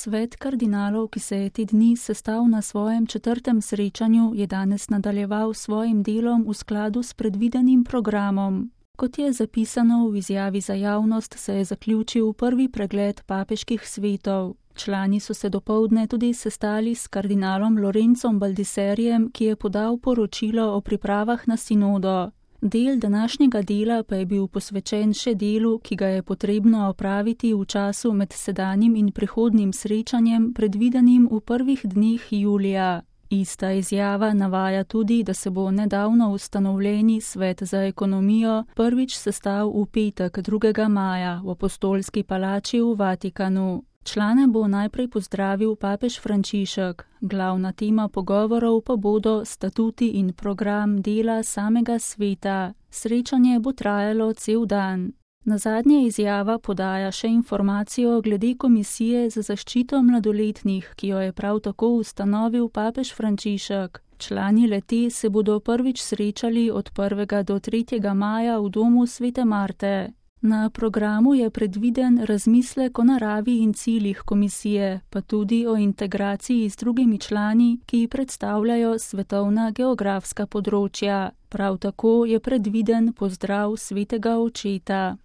Svet kardinalov, ki se je te dni sestal na svojem 4. srečanju, je danes nadaljeval s svojim delom v skladu s predvidenim programom. Kot je zapisano v izjavi za javnost, se je zaključil prvi pregled papeških svetov. Člani so se dopoldne tudi sestali s kardinalom Lorencom Baldiserijem, ki je podal poročilo o pripravah na sinodo. Del današnjega dela pa je bil posvečen še delu, ki ga je potrebno opraviti v času med sedanjim in prihodnjim srečanjem, predvidenim v prvih dneh julija. Ista izjava navaja tudi, da se bo nedavno ustanovljeni Svet za ekonomijo prvič sestal v petek 2. maja v Apostolski palači v Vatikanu. Člane bo najprej pozdravil papež Frančišek. Glavna tema pogovorov pa bodo statuti in program dela samega sveta. Srečanje bo trajalo cel dan. Nazadnje izjava podaja še informacijo glede komisije za zaščito mladoletnih, ki jo je prav tako ustanovil papež Frančišek. Člani le-te se bodo prvič srečali od 1. do 3. maja v domu Svete Marte. Na programu je predviden razmislek o naravi in ciljih komisije, pa tudi o integraciji z drugimi člani, ki predstavljajo svetovna geografska področja. Prav tako je predviden pozdrav svetega očeta.